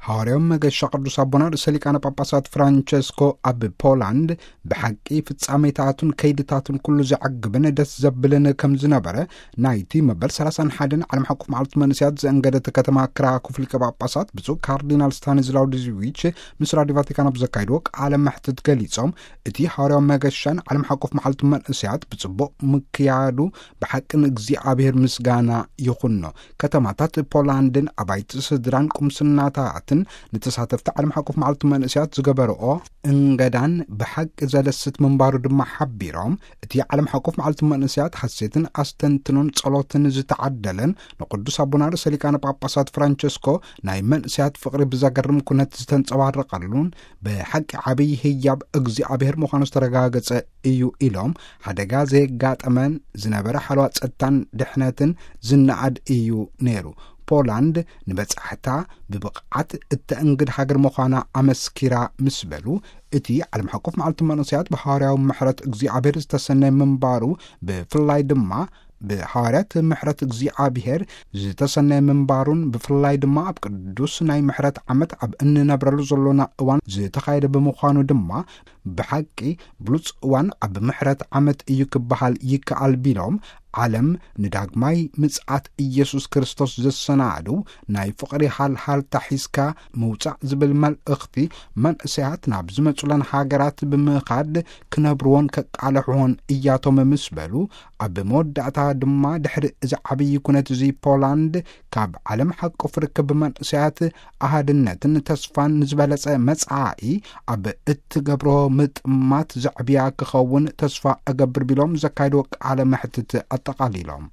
ሃዋርያዊ መገሻ ቅዱስ ኣቦና ርእሰ ሊቃነ ጳጳሳት ፍራንቸስኮ ኣብ ፖላንድ ብሓቂ ፍጻሜታቱን ከይድታቱን ኩሉ ዘዕግብን ደስ ዘብልን ከም ዝነበረ ናይቲ መበል ሰላሳን ሓደን ዓለም ሓቆፍ መዓልቲ መንእስያት ዘእንገደት ከተማ ክራኩፍ ሊቀ ጳጳሳት ብፁዕ ካርዲናል ስታኒስላው ዲዝዊች ምስ ራዲዮ ቫቲካን ኣብ ዘካይድዎ ቃለ መሕትት ገሊጾም፣ እቲ ሃዋርያዊ መገሻን ዓለም ሓቆፍ መዓልቲ መንእስያት ብጽቡቕ ምክያዱ ብሓቂ ንእግዚኣብሔር ምስጋና ይኹኖ። ከተማታት ፖላንድን ኣባይቲ ስድራን ቁምስናታትን ንተሳተፍቲ ዓለም ሓቆፍ መዓልቲ መንእስያት ዝገበርኦ እንገዳን ብሓቂ ዘደስት ምንባሩ ድማ ሓቢሮም፣ እቲ ዓለም ሓቆፍ መዓልቲ መንእስያት ሓሴትን ኣስተንትኖን ጸሎትን ዝተዓደለን ንቅዱስ ኣቦና ርእሰ ሊቃነ ጳጳሳት ፍራንቸስኮ ናይ መንእስያት ፍቕሪ ብዘገርም ኩነት ዝተንጸባረቐሉን ብሓቂ ዓብዪ ህያብ እግዚኣብሔር ምዃኑ ዝተረጋገጸ እዩ ኢሎም፣ ሓደጋ ዘየጋጠመን ዝነበረ ሓለዋ ጸጥታን ድሕነትን ዝነኣድ እዩ ነይሩ። ፖላንድ ንበጻሕታ ብብቕዓት እተእንግድ ሃገር ምዃና ኣመስኪራ ምስ በሉ፣ እቲ ዓለም ሓቆፍ መዓልቲ መንእስያት ብሃዋርያዊ ምሕረት እግዚኣብሔር ዝተሰነየ ምንባሩ፣ ብፍላይ ድማ ብሃዋርያት ምሕረት እግዚኣብሔር ዝተሰነየ ምንባሩን ብፍላይ ድማ ኣብ ቅዱስ ናይ ምሕረት ዓመት ኣብ እንነብረሉ ዘሎና እዋን ዝተኻየደ ብምዃኑ ድማ ብሓቂ ብሉጽ እዋን ኣብ ምሕረት ዓመት እዩ ክበሃል ይከኣል ቢሎም፣ ዓለም ንዳግማይ ምጽኣት ኢየሱስ ክርስቶስ ዘሰናዱ ናይ ፍቕሪ ሃልሃልታ ሒዝካ ምውጻእ ዝብል መልእኽቲ መንእሰያት ናብ ዝመጹለን ሃገራት ብምኻድ ክነብርዎን ከቃልሕዎን እያቶም ምስ በሉ፣ ኣብ መወዳእታ ድማ ድሕሪ እዚ ዓብዪ ኩነት እዚ ፖላንድ ካብ ዓለም ሓቆፍ ርክብ መንእሰያት ኣሃድነትን ተስፋን ንዝበለጸ መጻኢ ኣብ እትገብሮ ምጥማት ዘዕብያ ክኸውን ተስፋ እገብር ቢሎም ዘካይድዎ ቃለ መሕትት ኣጠቓሊሎም።